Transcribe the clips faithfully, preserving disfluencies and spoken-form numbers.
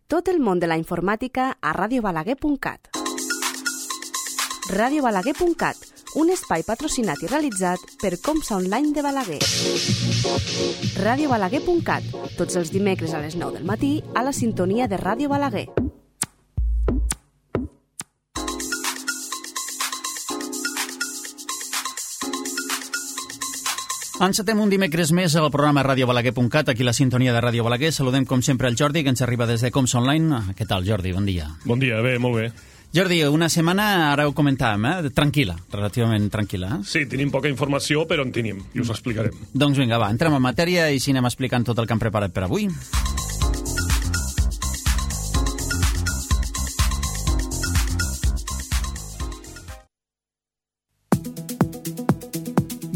Tot el món de la informàtica a ràdio balaguer punt cat. ràdio balaguer punt cat, un espai patrocinat i realitzat per Comsa Online de Balaguer. ràdio balaguer punt cat, tots els dimecres a les nou del matí a la sintonia de Ràdio Balaguer. Encetem un dimecres més al programa ràdio balaguer punt cat, aquí la sintonia de Ràdio Balaguer. Saludem com sempre el Jordi, que ens arriba des de Comsa Online. Què tal, Jordi? Bon dia. Bon dia, bé, molt bé. Jordi, una setmana, ara ho comentàvem, eh? tranquil·la, relativament tranquil·la. Eh? Sí, tenim poca informació, però en tenim, i us ho explicarem. Doncs vinga, va, entrem en matèria i si anem explicant tot el que hem preparat per avui.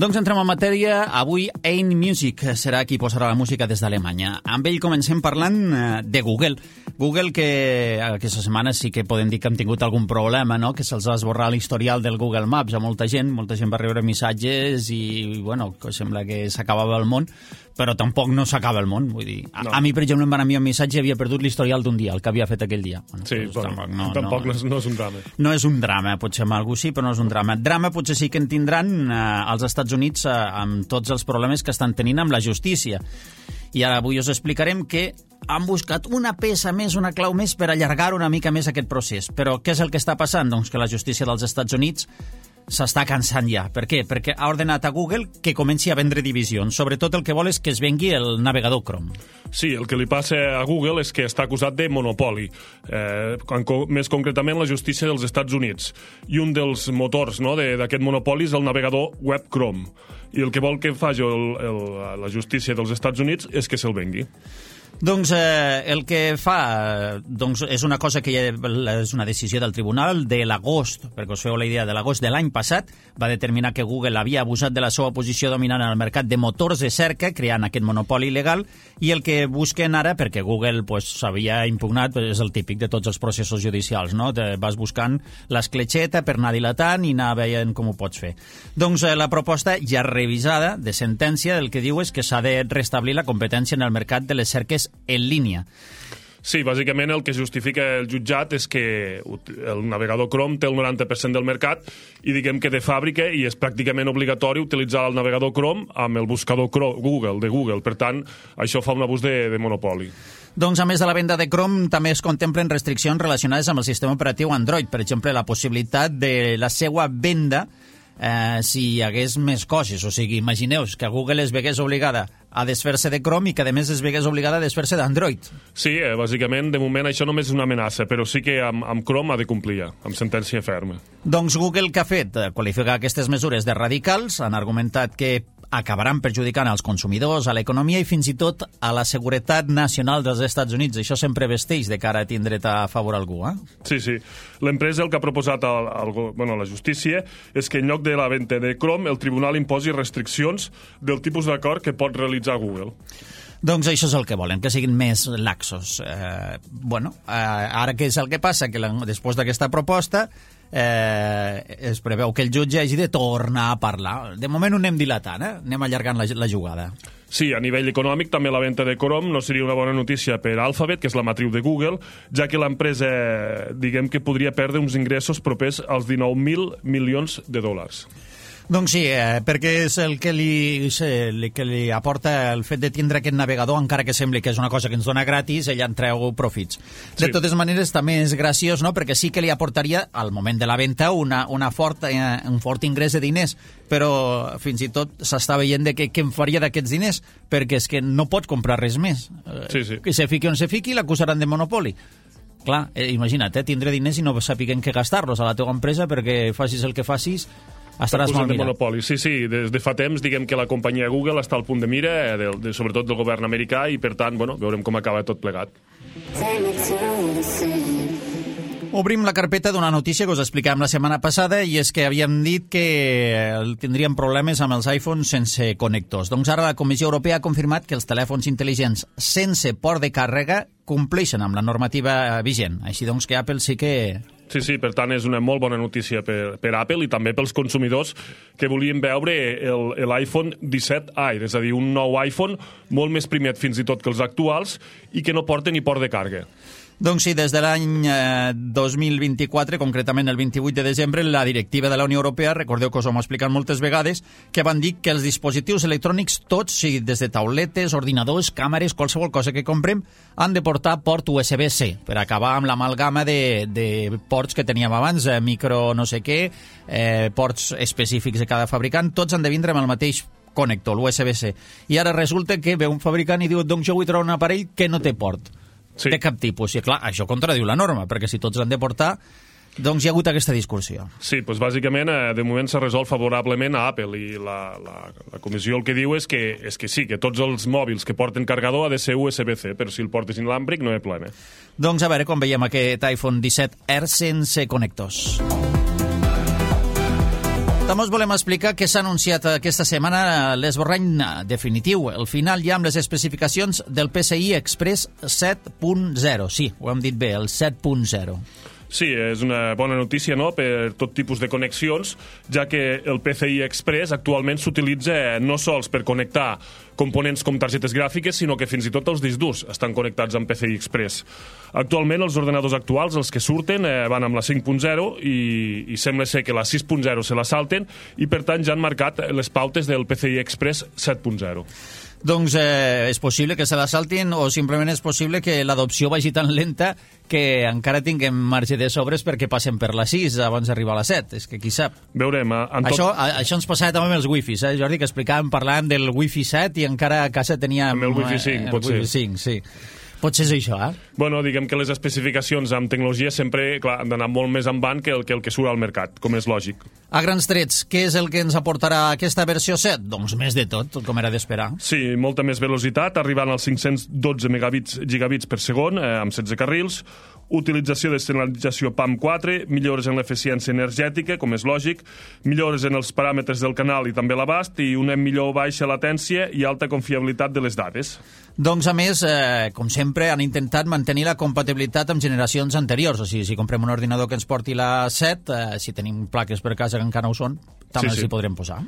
Doncs entrem en matèria. Avui Ein Music serà qui posarà la música des d'Alemanya. Amb ell comencem parlant de Google. Google, que aquesta setmana sí que podem dir que hem tingut algun problema, no? Que se'ls va esborrar l'historial del Google Maps a molta gent. Molta gent va rebre missatges i, bueno, que sembla que s'acabava el món, però tampoc no s'acaba el món. Vull dir, a, no. a mi, per exemple, em van enviar un missatge i havia perdut l'historial d'un dia, el que havia fet aquell dia. Bueno, sí, doncs, bueno, tampoc, no, tampoc no, no, és, no és un drama. No és un drama, potser amb algú sí, però no és un drama. Drama potser sí que en tindran eh, als Estats Units eh, amb tots els problemes que estan tenint amb la justícia. I ara avui us explicarem que han buscat una peça més, una clau més per allargar una mica més aquest procés. Però què és el que està passant? Doncs que la justícia dels Estats Units s'està cansant ja. Per què? Perquè ha ordenat a Google que comenci a vendre divisions. Sobretot el que vol és que es vengui el navegador Chrome. Sí, el que li passa a Google és que està acusat de monopoli, eh, més concretament la justícia dels Estats Units. I un dels motors, no, d'aquest monopoli és el navegador web Chrome. I el que vol que faci el, el, la justícia dels Estats Units és que se'l vengui. Doncs eh, el que fa doncs, és una cosa que ja és una decisió del tribunal de l'agost, perquè us feu la idea, de l'agost de l'any passat, va determinar que Google havia abusat de la seva posició dominant en el mercat de motors de cerca, creant aquest monopoli il·legal, i el que busquen ara, perquè Google s'havia pues, impugnat, pues, és el típic de tots els processos judicials, no? Te vas buscant l'escletxeta per anar dilatant i anar veient com ho pots fer. Doncs eh, la proposta ja revisada de sentència el que diu és que s'ha de restablir la competència en el mercat de les cerques en línia. Sí, bàsicament el que justifica el jutjat és que el navegador Chrome té el noranta per cent del mercat i diguem que de fàbrica i és pràcticament obligatori utilitzar el navegador Chrome amb el buscador Google, de Google. Per tant, això fa un abús de, de monopoli. Doncs, a més de la venda de Chrome, també es contemplen restriccions relacionades amb el sistema operatiu Android. Per exemple, la possibilitat de la seva venda Eh, si hi hagués més coses. O sigui, imagineu que Google es vegués obligada a desfer-se de Chrome i que a més es vegués obligada a desfer-se d'Android. Sí, eh, bàsicament, de moment això només és una amenaça, però sí que amb, amb Chrome ha de complir ja, amb sentència ferma. Doncs Google, què ha fet? Qualificar aquestes mesures de radicals, han argumentat que acabaran perjudicant als consumidors, a l'economia i fins i tot a la seguretat nacional dels Estats Units. Això sempre vesteix de cara a tindre a favor algú, eh? Sí, sí. L'empresa el que ha proposat al, al, bueno, la justícia és que en lloc de la venda de Chrome el tribunal imposi restriccions del tipus d'acord que pot realitzar Google. Doncs això és el que volen, que siguin més laxos. Eh, bueno, eh, ara què és el que passa? Que la, després d'aquesta proposta eh, es preveu que el jutge hagi de tornar a parlar. De moment ho anem dilatant, eh? Anem allargant la, la jugada. Sí, a nivell econòmic també la venda de Chrome no seria una bona notícia per Alphabet, que és la matriu de Google, ja que l'empresa, diguem que podria perdre uns ingressos propers als dinou mil milions de dòlars. Doncs sí, eh, perquè és el que li, el que li aporta el fet de tindre aquest navegador, encara que sembli que és una cosa que ens dona gratis, ella en treu profits. De sí. totes maneres, també és graciós, no?, perquè sí que li aportaria, al moment de la venda, una, una fort, eh, un fort ingrés de diners, però fins i tot s'està veient de que, què en faria d'aquests diners, perquè és que no pot comprar res més. Sí, sí. Que se fiqui on se fiqui, l'acusaran de monopoli. Clar, eh, imagina't, eh, tindre diners i no sapiguem què gastar-los a la teva empresa perquè facis el que facis, estaràs molt de mirat. monopoli. Sí, sí, des de fa temps diguem que la companyia Google està al punt de mira, de, de, sobretot del govern americà, i per tant, bueno, veurem com acaba tot plegat. Obrim la carpeta d'una notícia que us explicàvem la setmana passada, i és que havíem dit que tindríem problemes amb els iPhones sense connectors. Doncs ara la Comissió Europea ha confirmat que els telèfons intel·ligents sense port de càrrega compleixen amb la normativa vigent. Així doncs que Apple sí que... Sí, sí, per tant és una molt bona notícia per, per Apple i també pels consumidors que volien veure l'iPhone disset Air, és a dir, un nou iPhone molt més primet fins i tot que els actuals i que no porta ni port de càrrega. Doncs sí, des de l'any eh, dos mil vint-i-quatre, concretament el vint-i-vuit de desembre, la directiva de la Unió Europea, recordeu que us ho hem explicat moltes vegades, que van dir que els dispositius electrònics tots, sigui des de tauletes, ordinadors, càmeres, qualsevol cosa que comprem, han de portar port U S B C, per acabar amb l'amalgama de, de ports que teníem abans, eh, micro no sé què, eh, ports específics de cada fabricant, tots han de vindre amb el mateix connector, l'U S B C. I ara resulta que ve un fabricant i diu, doncs jo vull trobar un aparell que no té port. Sí. De cap tipus. I clar, això contradiu la norma, perquè si tots han de portar, doncs hi ha hagut aquesta discussió. Sí, doncs bàsicament, eh, de moment s'ha resolt favorablement a Apple i la, la, la comissió el que diu és que, és que sí, que tots els mòbils que porten cargador ha de ser U S B C, però si el portes inalàmbric no hi ha problema. Doncs a veure com veiem aquest iPhone disset R sense connectors. També us volem explicar que s'ha anunciat aquesta setmana l'esborrany definitiu, el final ja amb les especificacions del P C I Express set punt zero. Sí, ho hem dit bé, el set punt zero. Sí, és una bona notícia, no?, per tot tipus de connexions, ja que el P C I Express actualment s'utilitza no sols per connectar components com targetes gràfiques, sinó que fins i tot els discs durs estan connectats amb P C I Express. Actualment, els ordenadors actuals, els que surten, eh, van amb la cinc punt zero i, i sembla ser que la sis punt zero se la salten i, per tant, ja han marcat les pautes del P C I Express set punt zero. Doncs eh, és possible que se la saltin o simplement és possible que l'adopció vagi tan lenta que encara tinguem marge de sobres perquè passen per la sis abans d'arribar a la set. És que qui sap. Veurem. Eh, tot... això, a, això ens passava també amb els wifis, eh, Jordi, que explicàvem, parlàvem del wifi set i encara a casa teníem... Amb el wifi cinc, eh, potser. El wifi cinc, sí. Potser és això, eh? Bueno, diguem que les especificacions amb tecnologia sempre, clar, han d'anar molt més en van que el, que el que surt al mercat, com és lògic. A grans trets, què és el que ens aportarà aquesta versió set? Doncs més de tot, com era d'esperar. Sí, molta més velocitat, arribant als cinc-cents dotze megabits, gigabits per segon, eh, amb setze carrils, utilització de senyalització PAM quatre, millores en l'eficiència energètica, com és lògic, millores en els paràmetres del canal i també l'abast, i una millor baixa latència i alta confiabilitat de les dades. Doncs, a més, eh, com sempre, han intentat mantenir la compatibilitat amb generacions anteriors. O sigui, si comprem un ordinador que ens porti la set, eh, si tenim plaques per casa que encara no ho són, també sí, sí. hi podrem posar.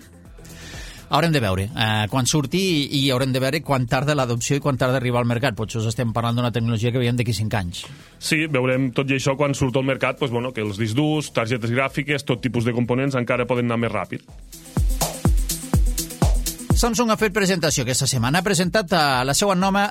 Haurem de veure eh, quan surti i, i haurem de veure quan tarda l'adopció i quan tarda arribar al mercat. Potser us estem parlant d'una tecnologia que veiem d'aquí cinc anys. Sí, veurem tot i això quan surt al mercat, doncs, bueno, que els discs durs, targetes gràfiques, tot tipus de components encara poden anar més ràpid. Samsung ha fet presentació aquesta setmana. Ha presentat la seva nova,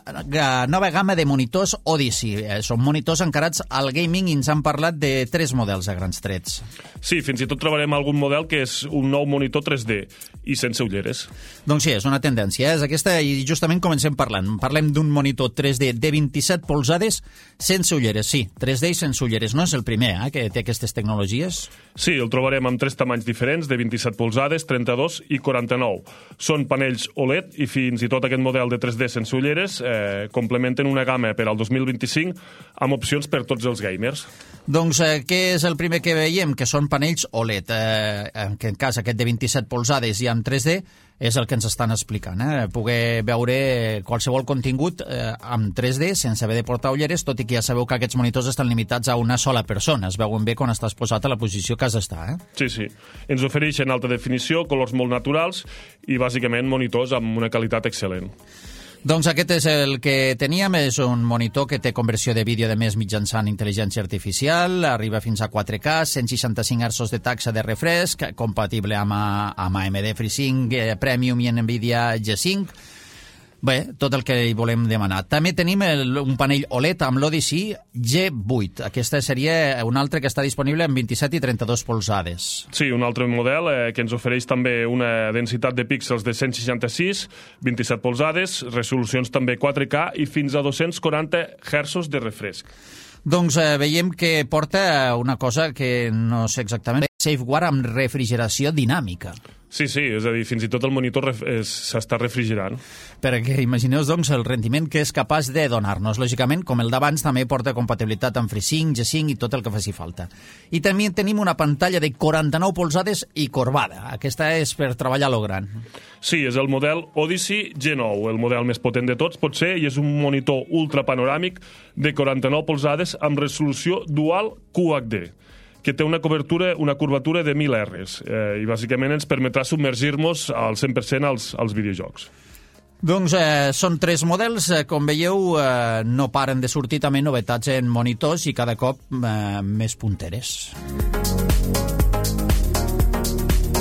nova gamma de monitors Odyssey. Són monitors encarats al gaming i ens han parlat de tres models a grans trets. Sí, fins i tot trobarem algun model que és un nou monitor tres D i sense ulleres. Doncs sí, és una tendència. És aquesta i justament comencem parlant. Parlem d'un monitor tres D de vint-i-set polzades sense ulleres. Sí, tres D i sense ulleres. No és el primer eh, que té aquestes tecnologies? Sí, el trobarem amb tres tamanys diferents, de vint-i-set polzades, trenta-dos i quaranta-nou. Són panells O L E D i fins i tot aquest model de tres D sense ulleres eh, complementen una gamma per al dos mil vint-i-cinc amb opcions per tots els gamers. Doncs eh, què és el primer que veiem? Que són panells O L E D. Eh, en aquest cas, aquest de vint-i-set polzades i amb tres D és el que ens estan explicant. Eh? Poder veure qualsevol contingut eh, amb tres D sense haver de portar ulleres, tot i que ja sabeu que aquests monitors estan limitats a una sola persona. Es veuen bé quan estàs posat a la posició que has d'estar. Eh? Sí, sí. Ens ofereixen alta definició, colors molt naturals i bàsicament monitors amb una qualitat excel·lent. Doncs aquest és el que teníem, és un monitor que té conversió de vídeo de més mitjançant intel·ligència artificial, arriba fins a quatre K, cent seixanta-cinc hertzos de taxa de refresc, compatible amb, amb A M D FreeSync eh, Premium i NVIDIA G cinc. Bé, tot el que hi volem demanar. També tenim el, un panell O L E D amb l'Odyssey G vuit. Aquesta seria un altre que està disponible en vint-i-set i trenta-dos polzades. Sí, un altre model eh, que ens ofereix també una densitat de píxels de cent seixanta-sis, vint-i-set polzades, resolucions també quatre K i fins a dos-cents quaranta hertzos de refresc. Doncs eh, veiem que porta una cosa que no sé exactament, SafeGuard amb refrigeració dinàmica. Sí, sí, és a dir, fins i tot el monitor s'està refrigerant. Perquè imagineu, doncs, el rendiment que és capaç de donar-nos. Lògicament, com el d'abans, també porta compatibilitat amb FreeSync, G cinc i tot el que faci falta. I també tenim una pantalla de quaranta-nou polzades i corbada. Aquesta és per treballar a lo gran. Sí, és el model Odyssey G nou, el model més potent de tots, potser, i és un monitor ultrapanoràmic de quaranta-nou polzades amb resolució dual Q H D, que té una cobertura, una curvatura de mil erres eh, i bàsicament ens permetrà submergir-nos al cent per cent als, als videojocs. Doncs eh, són tres models, eh, com veieu, eh, no paren de sortir també novetats en monitors i cada cop eh, més punteres.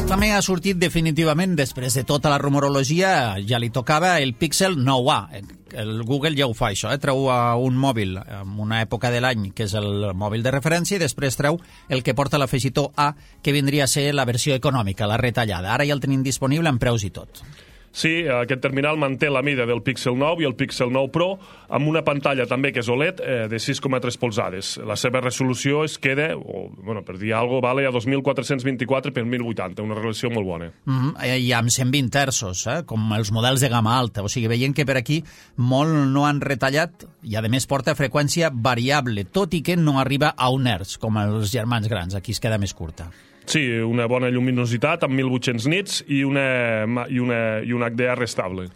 També ha sortit definitivament, després de tota la rumorologia, ja li tocava el Pixel nou A. El Google ja ho fa, això, eh? Treu un mòbil en una època de l'any, que és el mòbil de referència, i després treu el que porta l'afegitó A, que vindria a ser la versió econòmica, la retallada. Ara ja el tenim disponible amb preus i tot. Sí, aquest terminal manté la mida del Pixel nou i el Pixel nou Pro amb una pantalla també que és O L E D eh, de sis coma tres polzades. La seva resolució es queda, o, bueno, per dir alguna cosa, vale a dos mil quatre-cents vint-i-quatre per mil vuitanta, una resolució molt bona. Mm-hmm. I amb cent vint hertzos, eh? Com els models de gamma alta. O sigui, veient que per aquí molt no han retallat i, a més, porta freqüència variable, tot i que no arriba a un hertz, com els germans grans. Aquí es queda més curta. Sí, una bona lluminositat amb mil vuit-cents nits i, una, i, una, i un H D R estable.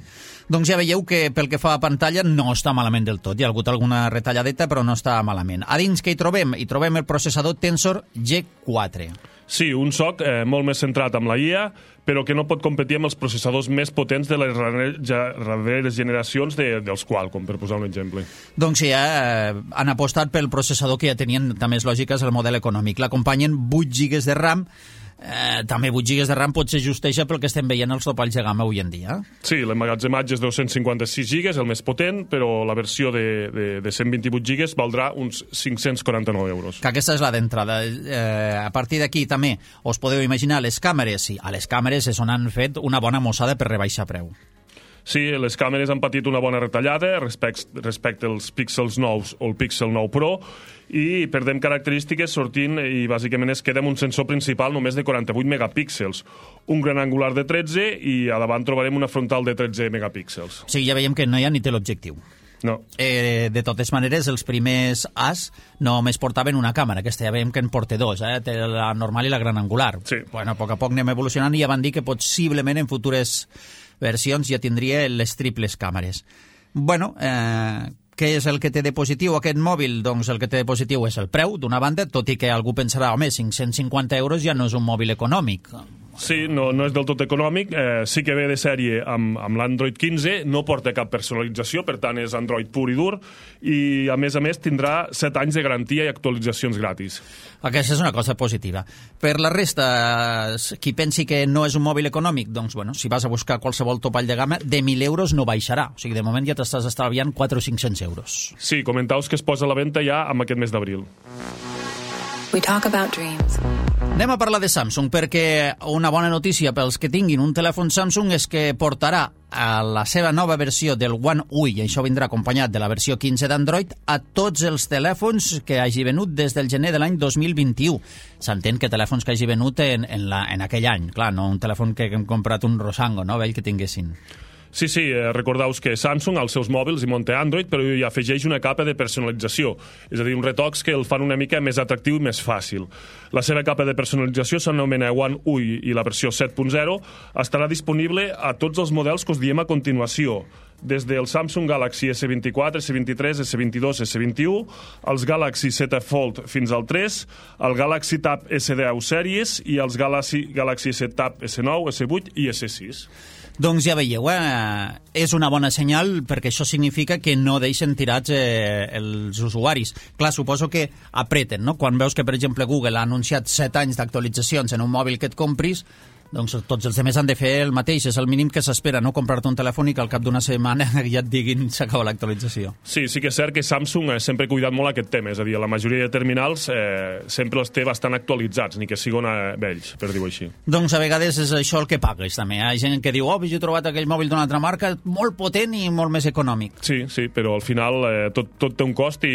Doncs ja veieu que pel que fa a pantalla no està malament del tot. Hi ha hagut alguna retalladeta, però no està malament. A dins què hi trobem? Hi trobem el processador Tensor G quatre. Sí, un S O C eh, molt més centrat amb la I A, però que no pot competir amb els processadors més potents de les darreres generacions de, dels Qualcomm, per posar un exemple. Doncs sí, eh, han apostat pel processador que ja tenien, també és lògic, és el model econòmic. L'acompanyen vuit gigas de RAM. Eh, també vuit gigas de RAM potser justeja pel que estem veient els topalls de gamma avui en dia. Sí, l'emmagatzematge és dos-cents cinquanta-sis gigas, el més potent, però la versió de, de, de cent vint-i-vuit gigas valdrà uns cinc-cents quaranta-nou euros. Que aquesta és la d'entrada. Eh, a partir d'aquí també us podeu imaginar les càmeres. Sí, a les càmeres és on han fet una bona mossada per rebaixar preu. Sí, les càmeres han patit una bona retallada respecte, respecte als Pixels nous o el Pixel nou Pro i perdem característiques sortint i bàsicament es queda amb un sensor principal només de quaranta-vuit megapíxels, un gran angular de tretze i a davant trobarem una frontal de tretze megapíxels. O sigui, ja veiem que no hi ha ni teleobjectiu. No. Eh, de totes maneres, els primers As només portaven una càmera, aquesta ja veiem que en porta dos, eh? Té la normal i la gran angular. Sí. Bueno, a poc a poc anem evolucionant i ja van dir que possiblement en futures versions ja tindria les triples càmeres. Bueno, eh, què és el que té de positiu aquest mòbil? Doncs el que té de positiu és el preu, d'una banda, tot i que algú pensarà, home, cinc-cents cinquanta euros ja no és un mòbil econòmic. Sí, no, no és del tot econòmic, eh, sí que ve de sèrie amb, amb l'Android quinze, no porta cap personalització, per tant és Android pur i dur, i a més a més tindrà set anys de garantia i actualitzacions gratis. Aquesta és una cosa positiva. Per la resta, qui pensi que no és un mòbil econòmic, doncs, bueno, si vas a buscar qualsevol topall de gamma, de mil euros no baixarà. O sigui, de moment ja t'estàs estalviant quatre o cinc-cents euros. Sí, comentaus que es posa a la venda ja amb aquest mes d'abril. We talk about dreams. Anem a parlar de Samsung, perquè una bona notícia pels que tinguin un telèfon Samsung és que portarà a la seva nova versió del One U I, i això vindrà acompanyat de la versió quinze d'Android, a tots els telèfons que hagi venut des del gener de l'any dos mil vint-i-u. S'entén que telèfons que hagi venut en, en, la, en aquell any, clar, no un telèfon que hem comprat un Rosango, no, vell que tinguessin. Sí, sí, eh, recordaus que Samsung als seus mòbils hi munta Android, però hi afegeix una capa de personalització, és a dir, uns retocs que el fan una mica més atractiu i més fàcil. La seva capa de personalització s'anomena One U I i la versió set punt zero estarà disponible a tots els models que us diem a continuació, des del Samsung Galaxy S vint-i-quatre, S vint-i-tres, S vint-i-dos, S vint-i-u, els Galaxy Z Fold fins al tres, el Galaxy Tab S deu sèries i els Galaxy, Galaxy S Tab S nou, S vuit i S sis. Doncs ja veieu, eh? És una bona senyal perquè això significa que no deixen tirats eh, els usuaris. Clar, suposo que apreten, no? Quan veus que, per exemple, Google ha anunciat set anys d'actualitzacions en un mòbil que et compris, doncs tots els altres han de fer el mateix. És el mínim que s'espera, no comprar-te un telèfon i que al cap d'una setmana ja et diguin s'acaba l'actualització. Sí, sí que és cert que Samsung ha sempre cuidat molt aquest tema, és a dir, la majoria de terminals eh, sempre els té bastant actualitzats, ni que siguin eh, vells, per dir-ho així. Doncs a vegades és això el que pagues, també. Hi ha gent que diu, oh, jo he trobat aquell mòbil d'una altra marca molt potent i molt més econòmic. Sí, sí, però al final eh, tot, tot té un cost i,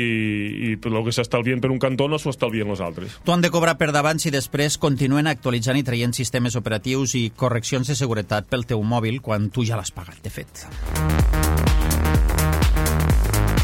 i el que s'estalvien per un cantó no s'ho estalvien els altres. T'ho han de cobrar per davant si després continuen actualitzant i traient sistemes operatius i correccions de seguretat pel teu mòbil quan tu ja l'has pagat, de fet.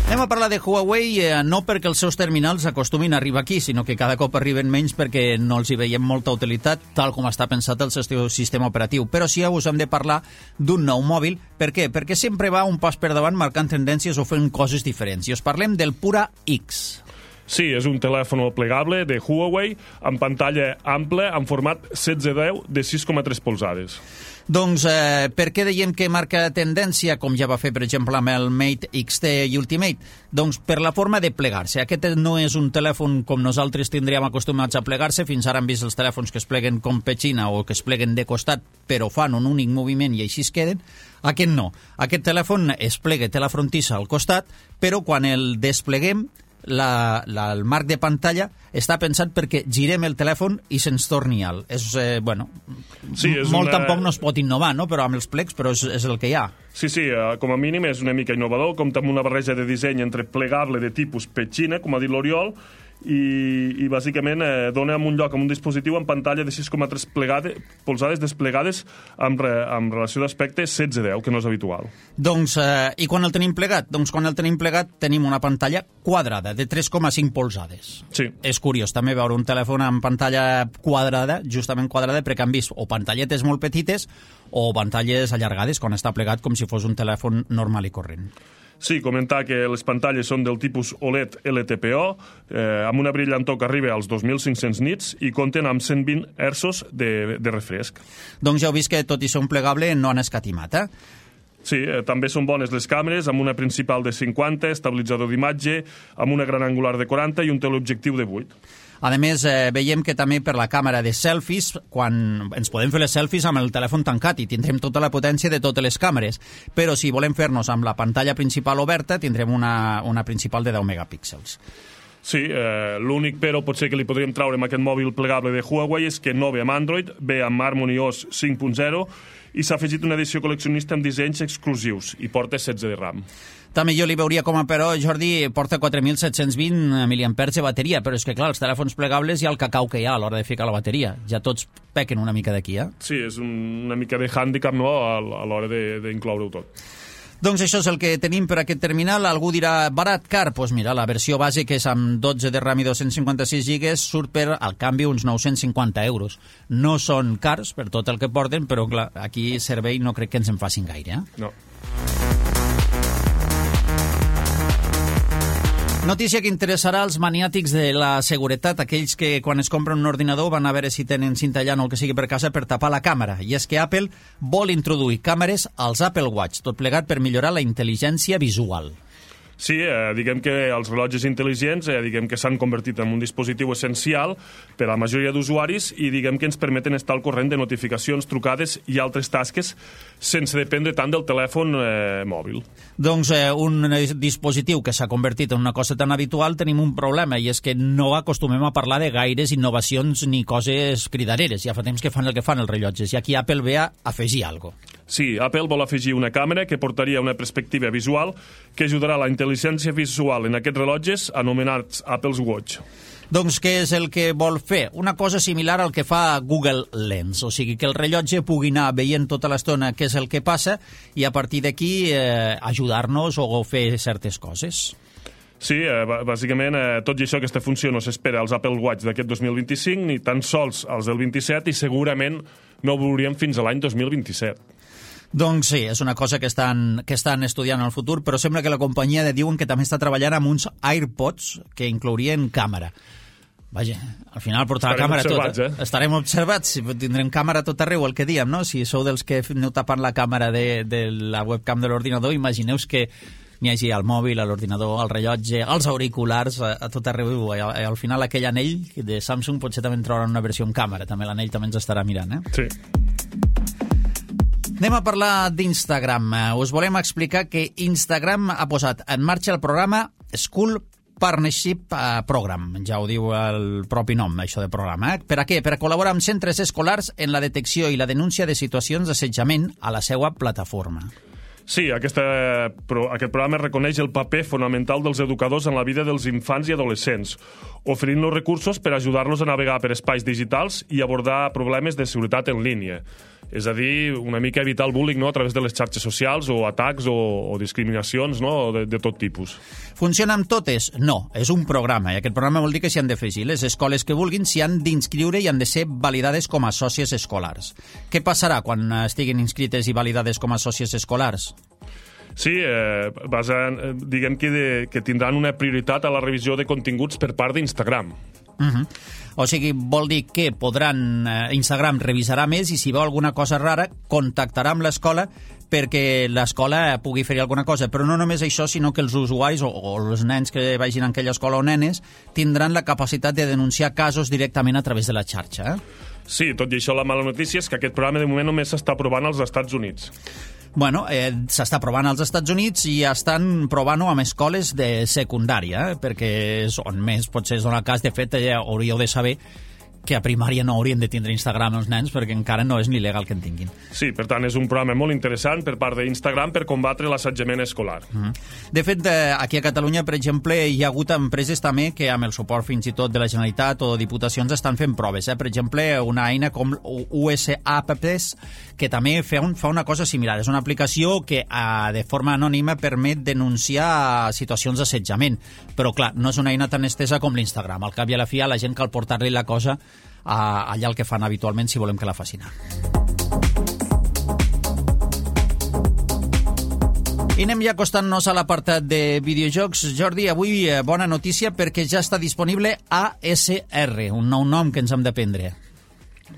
Anem a parlar de Huawei, eh, no perquè els seus terminals acostumin a arribar aquí, sinó que cada cop arriben menys perquè no els hi veiem molta utilitat, tal com està pensat el seu sistema operatiu. Però sí, us hem de parlar d'un nou mòbil. Per què? Perquè sempre va un pas per davant marcant tendències o fent coses diferents. I us parlem del Pura X. Sí, és un telèfon plegable de Huawei amb pantalla ampla en format setze deu de sis coma tres polzades. Doncs eh, per què dèiem que marca tendència, com ja va fer, per exemple, amb el Mate X T i Ultimate? Doncs per la forma de plegar-se. Aquest no és un telèfon com nosaltres tindríem acostumats a plegar-se. Fins ara hem vist els telèfons que es pleguen com petxina o que es pleguen de costat, però fan un únic moviment i així es queden. Aquest no. Aquest telèfon es plega, té la frontissa al costat, però quan el despleguem, La, la, el marc de pantalla està pensat perquè girem el telèfon i se'ns torni alt. És, eh, bueno, sí, és molt una... tampoc no es pot innovar, no? Però amb els plecs, però és, és el que hi ha. Sí, sí, com a mínim és una mica innovador, compta amb una barreja de disseny entre plegable de tipus petxina, com ha dit l'Oriol, i, i bàsicament eh, dona en un lloc amb un dispositiu amb pantalla de sis coma tres polzades desplegades amb, re, amb relació d'aspecte setze deu, que no és habitual. Doncs, eh, i quan el tenim plegat? Doncs quan el tenim plegat tenim una pantalla quadrada de tres coma cinc polzades. Sí. És curiós també veure un telèfon amb pantalla quadrada, justament quadrada, perquè han vist o pantalletes molt petites o pantalles allargades quan està plegat com si fos un telèfon normal i corrent. Sí, comentar que les pantalles són del tipus O L E D L T P O, eh, amb una brillantor que arriba als dos mil cinc-cents nits i compten amb cent vint hertzos de, de refresc. Doncs ja heu vist que tot i ser un plegable no han escatimat, eh? Sí, eh, també són bones les càmeres, amb una principal de cinquanta, estabilitzador d'imatge, amb una gran angular de quaranta i un teleobjectiu de vuit. A més, eh, veiem que també per la càmera de selfies, quan ens podem fer les selfies amb el telèfon tancat i tindrem tota la potència de totes les càmeres, però si volem fer-nos amb la pantalla principal oberta tindrem una, una principal de deu megapíxels. Sí, eh, l'únic però potser que li podríem traure amb aquest mòbil plegable de Huawei és que no ve amb Android, ve amb Harmony O S cinc punt zero i s'ha afegit una edició col·leccionista amb dissenys exclusius i porta setze de RAM. També jo li veuria com a però, Jordi, porta quatre mil set-cents vint miliampers de bateria, però és que, clar, els telèfons plegables hi ha el cacau que hi ha a l'hora de ficar la bateria. Ja tots pequen una mica d'aquí, eh? Sí, és un, una mica de hàndicap, no?, a, a l'hora d'incloure-ho tot. Doncs això és el que tenim per aquest terminal. Algú dirà, barat, car? Doncs pues mira, la versió base, que és amb dotze de RAM i dos-cents cinquanta-sis gigas, surt per, al canvi, uns nou-cents cinquanta euros. No són cars per tot el que porten, però clar, aquí servei no crec que ens en facin gaire, eh? No. Notícia que interessarà als maniàtics de la seguretat, aquells que quan es compren un ordinador van a veure si tenen cinta llana o el que sigui per casa per tapar la càmera. I és que Apple vol introduir càmeres als Apple Watch, tot plegat per millorar la intel·ligència visual. Sí, eh, diguem que els rellotges intel·ligents eh, diguem que s'han convertit en un dispositiu essencial per a la majoria d'usuaris i diguem que ens permeten estar al corrent de notificacions, trucades i altres tasques sense dependre tant del telèfon eh, mòbil. Doncs eh, un dispositiu que s'ha convertit en una cosa tan habitual tenim un problema, i és que no acostumem a parlar de gaires innovacions ni coses cridareres. Ja fa temps que fan el que fan els rellotges, i aquí Apple ve a afegir alguna cosa. Sí, Apple vol afegir una càmera que portaria una perspectiva visual que ajudarà a la intel·ligència visual en aquests rellotges anomenats Apple's Watch. Doncs què és el que vol fer? Una cosa similar al que fa Google Lens, o sigui que el rellotge pugui anar veient tota l'estona què és el que passa i a partir d'aquí eh, ajudar-nos o fer certes coses. Sí, eh, bàsicament eh, tot i això, aquesta funció no s'espera als Apple Watch d'aquest dos mil vint-i-cinc ni tan sols als del vint-i-set, i segurament no ho veuríem fins a l'any dos mil vint-i-set. Doncs sí, és una cosa que estan, que estan estudiant al futur, però sembla que la companyia de diuen que també està treballant amb uns AirPods que inclourien càmera. Vaja, al final portar la càmera tot. Eh? Estarem observats, tindrem càmera tot arreu, el que diem, no? Si sou dels que aneu tapant la càmera de, de la webcam de l'ordinador, imagineu que n'hi hagi al mòbil, a l'ordinador, al rellotge, als auriculars, a, a tot arreu. I al, al final aquell anell de Samsung potser també en trauran una versió en càmera, també l'anell també ens estarà mirant, eh? Sí. Anem a parlar d'Instagram. Us volem explicar que Instagram ha posat en marxa el programa School Partnership Program. Ja ho diu el propi nom, això de programa. Eh? Per a què? Per a col·laborar amb centres escolars en la detecció i la denúncia de situacions d'assetjament a la seva plataforma. Sí, aquesta, pro, aquest programa reconeix el paper fonamental dels educadors en la vida dels infants i adolescents, oferint-los recursos per ajudar-los a navegar per espais digitals i abordar problemes de seguretat en línia. És a dir, una mica evitar el bullying, no?, a través de les xarxes socials o atacs o, o discriminacions, no?, de, de tot tipus. Funciona amb totes? No, és un programa, i aquest programa vol dir que s'hi han d'afegir. Les escoles que vulguin s'hi han d'inscriure i han de ser validades com a sòcies escolars. Què passarà quan estiguin inscrites i validades com a sòcies escolars? Sí, eh, basen, eh, diguem que, de, que tindran una prioritat a la revisió de continguts per part d'Instagram. Uh-huh. O sigui, vol dir que podran, eh, Instagram revisarà més i si veu alguna cosa rara contactarà amb l'escola perquè l'escola pugui fer alguna cosa. Però no només això, sinó que els usuaris o, o els nens que vagin a aquella escola o nenes tindran la capacitat de denunciar casos directament a través de la xarxa. Eh? Sí, tot i això la mala notícia és que aquest programa de moment només s'està provant als Estats Units. Bueno, eh, s'està provant als Estats Units i estan provant-ho amb escoles de secundària, eh, perquè és on més potser és on el cas. De fet, ja hauríeu de saber que a primària no haurien de tindre Instagram els nens perquè encara no és ni legal que en tinguin. Sí, per tant, és un programa molt interessant per part d'Instagram per combatre l'assetjament escolar. Mm-hmm. De fet, aquí a Catalunya, per exemple, hi ha hagut empreses també que amb el suport fins i tot de la Generalitat o diputacions estan fent proves. Eh? Per exemple, una eina com U S Apps que també fa, un, fa una cosa similar. És una aplicació que eh, de forma anònima permet denunciar situacions d'assetjament. Però, clar, no és una eina tan estesa com l'Instagram. Al cap i a la fi, a la gent cal portar-li la cosa a allà el que fan habitualment si volem que la facin. I anem ja acostant-nos a l'apartat de videojocs. Jordi, avui bona notícia perquè ja està disponible A S R, un nou nom que ens hem d'aprendre.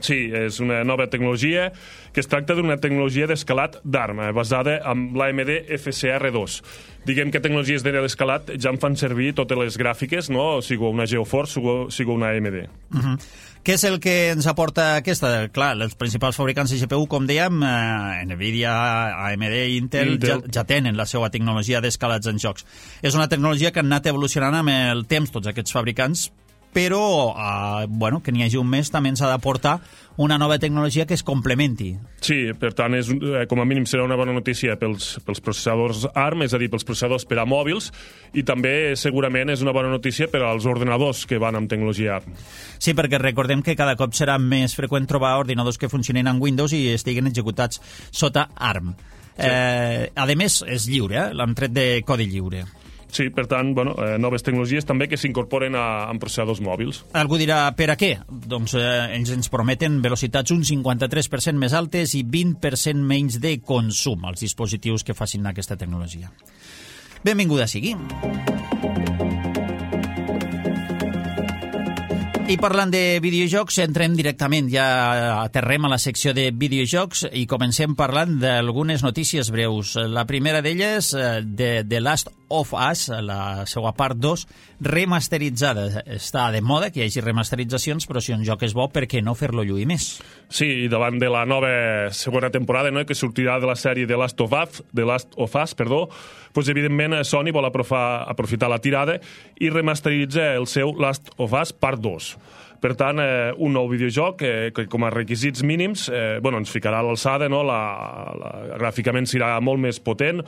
Sí, és una nova tecnologia que es tracta d'una tecnologia d'escalat d'arma basada en l'A M D F C R dos. Diguem que tecnologies d'escalat ja en fan servir totes les gràfiques, no? Sigo una GeoForce, sigo una A M D. Uh-huh. Què és el que ens aporta aquesta? Clar, els principals fabricants de G P U, com dèiem, eh, Nvidia, A M D i Intel, Intel. Ja, ja tenen la seva tecnologia d'escalats en jocs. És una tecnologia que han anat evolucionant amb el temps tots aquests fabricants, però eh, bueno, que n'hi hagi un mes també ens ha d'aportar una nova tecnologia que es complementi. Sí, per tant, és, com a mínim serà una bona notícia pels, pels processadors A R M, és a dir, pels processadors per a mòbils, i també segurament és una bona notícia per als ordenadors que van amb tecnologia A R M. Sí, perquè recordem que cada cop serà més freqüent trobar ordinadors que funcionin en Windows i estiguin executats sota A R M. Sí. Eh, a més, és lliure, eh? L'han tret de codi lliure. Sí, per tant, bueno, eh, noves tecnologies també que s'incorporen a, a processadors mòbils. Algú dirà, per a què? Doncs eh, ells ens prometen velocitats un cinquanta-tres per cent més altes i vint per cent menys de consum als dispositius que facin aquesta tecnologia. Benvinguda sigui. I parlant de videojocs, entrem directament, ja aterrem a la secció de videojocs i comencem parlant d'algunes notícies breus. La primera d'elles, de The Last of Us, la seva part dos, remasteritzada. Està de moda que hi hagi remasteritzacions, però si un joc és bo, per què no fer-lo lluir més? Sí, i davant de la nova segona temporada, no?, que sortirà de la sèrie The Last of Us, The Last of Us, perdó, doncs evidentment Sony vol aprofitar la tirada i remasteritza el seu Last of Us part dos. Per tant, eh, un nou videojoc eh, que com a requisits mínims eh, bueno, ens ficarà a l'alçada, no? la, la, gràficament serà molt més potent,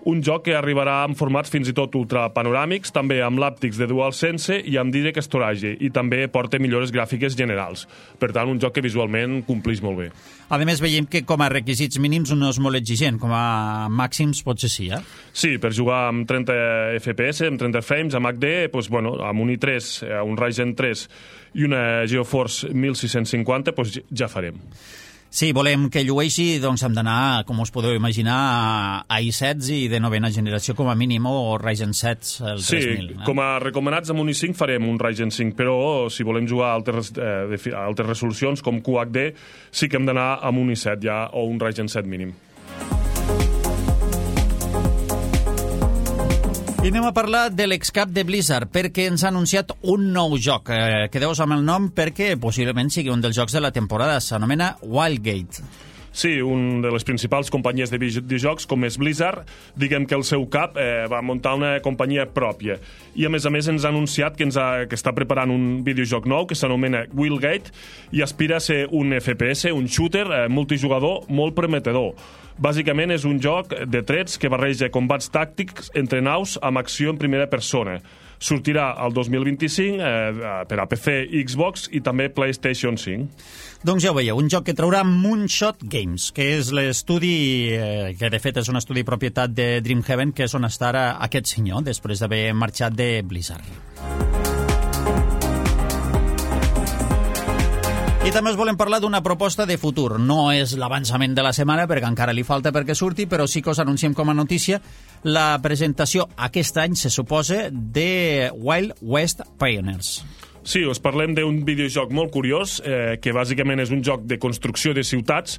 un joc que arribarà en formats fins i tot ultrapanoràmics, també amb l'àptics de DualSense i amb Direct Storage, i també porta millores gràfiques generals. Per tant, un joc que visualment compleix molt bé. A més, veiem que com a requisits mínims no és molt exigent, com a màxims potser sí, eh? Sí, per jugar amb trenta F P S, amb trenta frames, amb H D, doncs, bueno, amb un i tres, un Ryzen tres i una GeoForce mil sis-cents cinquanta, doncs ja farem. Sí, volem que llueixi, doncs hem d'anar, com us podeu imaginar, a i set i de novena generació com a mínim, o Ryzen set, el sí, tres mil. Sí, eh? Com a recomanats amb un i cinc farem un Ryzen cinc, però si volem jugar a altres, eh, de, a altres resolucions com Q H D, sí que hem d'anar amb un i set ja, o un Ryzen set mínim. I anem a parlar de l'excap de Blizzard, perquè ens ha anunciat un nou joc. Eh, Quedeu-vos amb el nom perquè possiblement sigui un dels jocs de la temporada. S'anomena Wildgate. Sí, un de les principals companyies de videojocs, com és Blizzard, diguem que el seu cap eh, va muntar una companyia pròpia. I, a més a més, ens ha anunciat que, ens ha, que està preparant un videojoc nou que s'anomena Wildgate i aspira a ser un F P S, un shooter eh, multijugador molt prometedor. Bàsicament és un joc de trets que barreja combats tàctics entre naus amb acció en primera persona. Sortirà el dos mil vint-i-cinc eh, per a P C, Xbox i també PlayStation cinc. Doncs ja ho veieu, un joc que traurà Moonshot Games, que és l'estudi, eh, que de fet és un estudi propietat de Dreamhaven, que és on està ara aquest senyor, després d'haver marxat de Blizzard. I també us volem parlar d'una proposta de futur. No és l'avançament de la setmana, perquè encara li falta perquè surti, però sí que us anunciem com a notícia la presentació aquest any, se suposa, de Wild West Pioneers. Sí, us parlem d'un videojoc molt curiós, eh, que bàsicament és un joc de construcció de ciutats,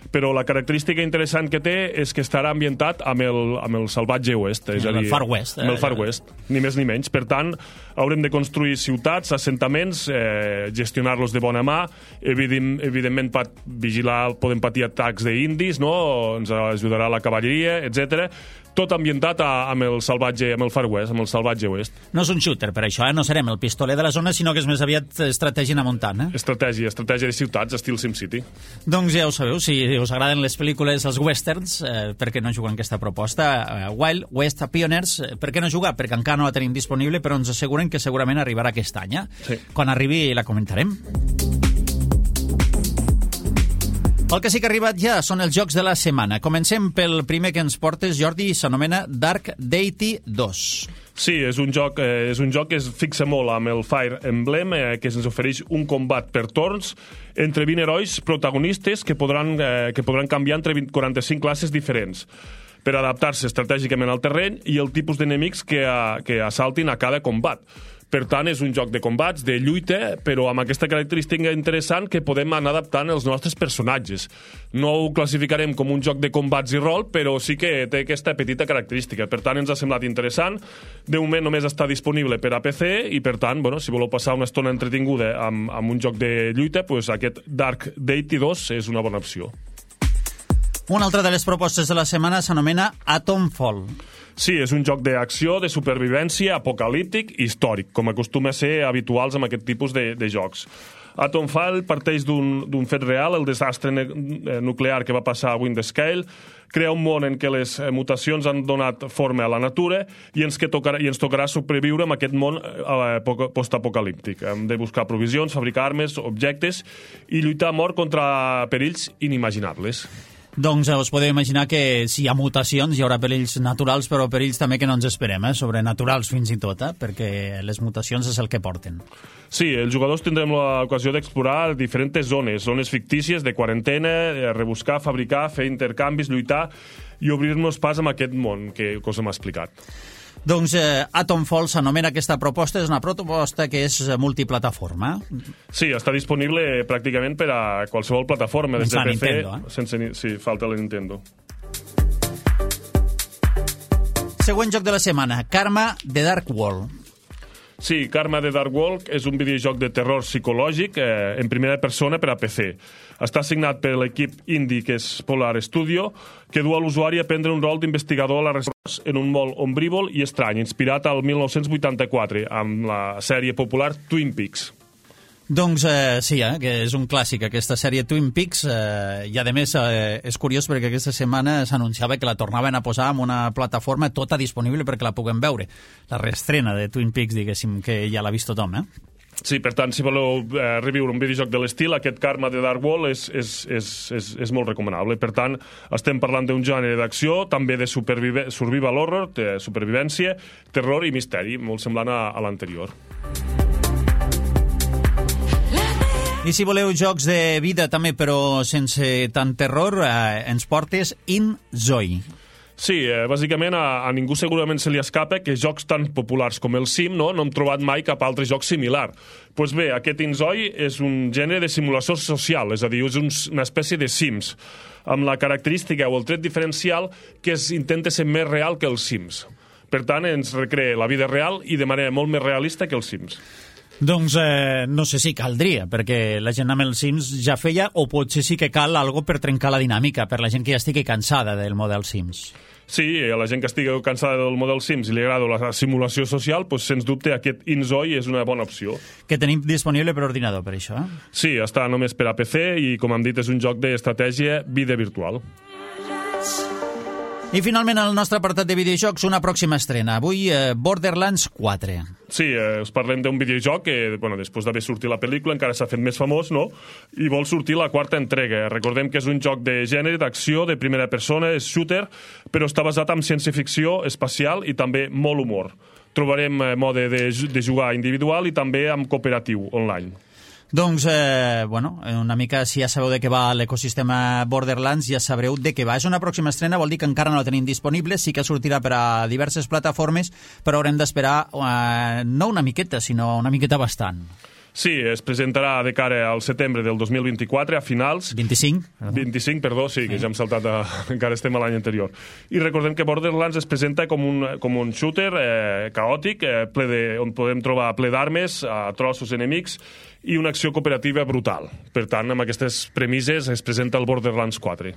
però la característica interessant que té és que estarà ambientat amb el, amb el salvatge oest. És amb a dir, el Far West. Amb el Far West, ni més ni menys. Per tant, haurem de construir ciutats, assentaments, eh, gestionar-los de bona mà, evident, evidentment pat, vigilar, podem patir atacs d'indis, no? Ens ajudarà la cavalleria, etcètera. Tot ambientat a, amb el salvatge, amb el Far West, amb el salvatge oest. No és un shooter, per això, eh? No serem el pistoler de la zona, sinó que és més aviat estratègia a muntanya. Eh? Estratègia, estratègia de ciutats, estil SimCity. Doncs ja ho sabeu, si us agraden les pel·lícules, els westerns, eh, per què no jugar en aquesta proposta? Eh, Wild West Pioneers, eh, per què no jugar? Perquè encara no la tenim disponible, però ens asseguren que segurament arribarà aquest any. Eh? Sí. Quan arribi la comentarem. El que sí que ha arribat ja són els jocs de la setmana. Comencem pel primer que ens portes, Jordi, s'anomena Dark Deity dos. Sí, és un joc, eh, és un joc que es fixa molt amb el Fire Emblem, eh, que ens ofereix un combat per torns entre vint herois protagonistes que podran, eh, que podran canviar entre vint, quaranta-cinc classes diferents per adaptar-se estratègicament al terreny i el tipus d'enemics que, a, que assaltin a cada combat. Per tant, és un joc de combats, de lluita, però amb aquesta característica interessant que podem anar adaptant els nostres personatges. No ho classificarem com un joc de combats i rol, però sí que té aquesta petita característica. Per tant, ens ha semblat interessant. De moment només està disponible per a P C i, per tant, bueno, si voleu passar una estona entretinguda amb, amb un joc de lluita, pues aquest Dark Deity dos és una bona opció. Una altra de les propostes de la setmana s'anomena Atomfall. Sí, és un joc d'acció, de supervivència, apocalíptic i històric, com acostuma a ser habituals amb aquest tipus de, de jocs. Atomfall parteix d'un fet real, el desastre nuclear que va passar a Windscale, crea un món en què les mutacions han donat forma a la natura i ens, que tocarà, i ens tocarà sobreviure en aquest món eh, postapocalíptic. Hem de buscar provisions, fabricar armes, objectes i lluitar a mort contra perills inimaginables. Doncs us podeu imaginar que si hi ha mutacions hi haurà perills naturals, però perills també que no ens esperem, eh? Sobrenaturals fins i tot, eh? Perquè les mutacions és el que porten. Sí, els jugadors tindrem l'ocasió d'explorar diferents zones, zones fictícies de quarantena, rebuscar, fabricar, fer intercanvis, lluitar i obrir-nos pas en aquest món que, que us hem explicat. Doncs eh, Atomfall s'anomena aquesta proposta, és una proposta que és multiplataforma. Sí, està disponible pràcticament per a qualsevol plataforma, des de P C, Nintendo, eh? sense, sí, falta la Nintendo. Següent joc de la setmana, Karma The Dark World. Sí, Karma The Dark World és un videojoc de terror psicològic eh, en primera persona per a P C. Està signat per l'equip indie que és Polar Studio, que du a l'usuari a prendre un rol d'investigador a la resposta en un món ombrívol i estrany, inspirat al mil nou-cents vuitanta-quatre, amb la sèrie popular Twin Peaks. Doncs eh, sí, eh, que és un clàssic aquesta sèrie Twin Peaks, eh, i a més eh, és curiós perquè aquesta setmana s'anunciava que la tornaven a posar en una plataforma tota disponible perquè la puguem veure. La reestrena de Twin Peaks, diguéssim, que ja l'ha vist tothom, eh? Sí, per tant, si voleu eh, reviure un videojoc de l'estil, aquest Karma The Dark World és, és, és, és, és molt recomanable. Per tant, estem parlant d'un gènere d'acció, també de survival horror, de supervivència, terror i misteri, molt semblant a, a l'anterior. I si voleu jocs de vida també, però sense tant terror, eh, ens portes InZoi. Sí, eh, bàsicament a, a ningú segurament se li escapa que jocs tan populars com el Sim no, no hem trobat mai cap altre joc similar. Doncs pues bé, aquest InZoi és un gènere de simulació social, és a dir, és un, una espècie de Sims, amb la característica o el tret diferencial que es intenta ser més real que els Sims. Per tant, ens recrea la vida real i de manera molt més realista que els Sims. Doncs eh, no sé si caldria, perquè la gent amb els Sims ja feia, o potser sí que cal algo per trencar la dinàmica, per la gent que ja estigui cansada del model Sims. Sí, a la gent que estigui cansada del model Sims i li agrada la simulació social, doncs, sens dubte aquest InZoi és una bona opció. Que tenim disponible per ordinador, per això, eh? Sí, està només per a P C i, com hem dit, és un joc d'estratègia vida virtual. I finalment el nostre apartat de videojocs, una pròxima estrena. Avui eh, Borderlands quatre. Sí, eh, us parlem d'un videojoc que, bueno, després d'haver sortit la pel·lícula encara s'ha fet més famós, no? I vol sortir la quarta entrega. Recordem que és un joc de gènere, d'acció, de primera persona, és shooter, però està basat en ciència-ficció espacial i també molt humor. Trobarem eh, mode de, de jugar individual i també amb cooperatiu online. Doncs, eh, bueno, una mica, si ja sabeu de què va l'ecosistema Borderlands, ja sabreu de què va. És una pròxima estrena, vol dir que encara no la tenim disponible, sí que sortirà per a diverses plataformes, però haurem d'esperar eh, no una miqueta, sinó una miqueta bastant. Sí, es presentarà de cara al setembre del dos mil vint-i-quatre, a finals... vint-i-cinc? vint-i-cinc, perdó, sí, que ja hem saltat, a... encara estem a l'any anterior. I recordem que Borderlands es presenta com un, com un shooter eh, caòtic, eh, ple de, on podem trobar ple d'armes, a trossos enemics, i una acció cooperativa brutal. Per tant, amb aquestes premisses es presenta el Borderlands quatre.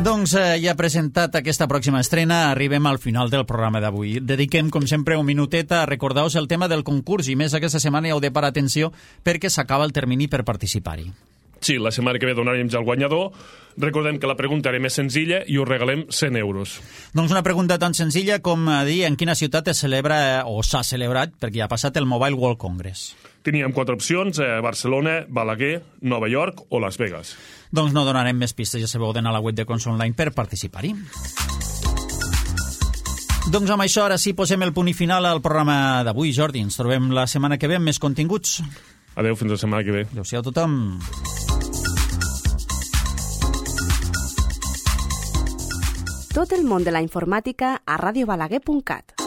Doncs eh, ja presentat aquesta pròxima estrena, arribem al final del programa d'avui. Dediquem, com sempre, un minutet a recordar-vos el tema del concurs, i més aquesta setmana hi heu de parar atenció perquè s'acaba el termini per participar-hi. Sí, la setmana que ve donarem ja el guanyador. Recordem que la pregunta era més senzilla i us regalem cent euros. Doncs una pregunta tan senzilla com dir en quina ciutat es celebra o s'ha celebrat, perquè ja ha passat el Mobile World Congress. Teníem quatre opcions, eh, Barcelona, Balaguer, Nova York o Las Vegas. Doncs no donarem més pistes, ja sabeu d'anar a la web de Cons Online per participar-hi. Doncs amb això ara sí posem el punt i final al programa d'avui, Jordi. Ens trobem la setmana que ve amb més continguts. Adéu, fins la setmana que ve. Adéu-siau a tothom. Tot el món de la informàtica a ràdio balaguer punt cat.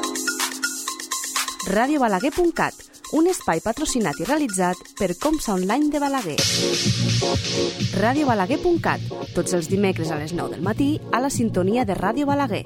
ràdio balaguer punt cat, un espai patrocinat i realitzat per Comsa Online de Balaguer. ràdio balaguer punt cat, tots els dimecres a les nou del matí a la sintonia de Ràdio Balaguer.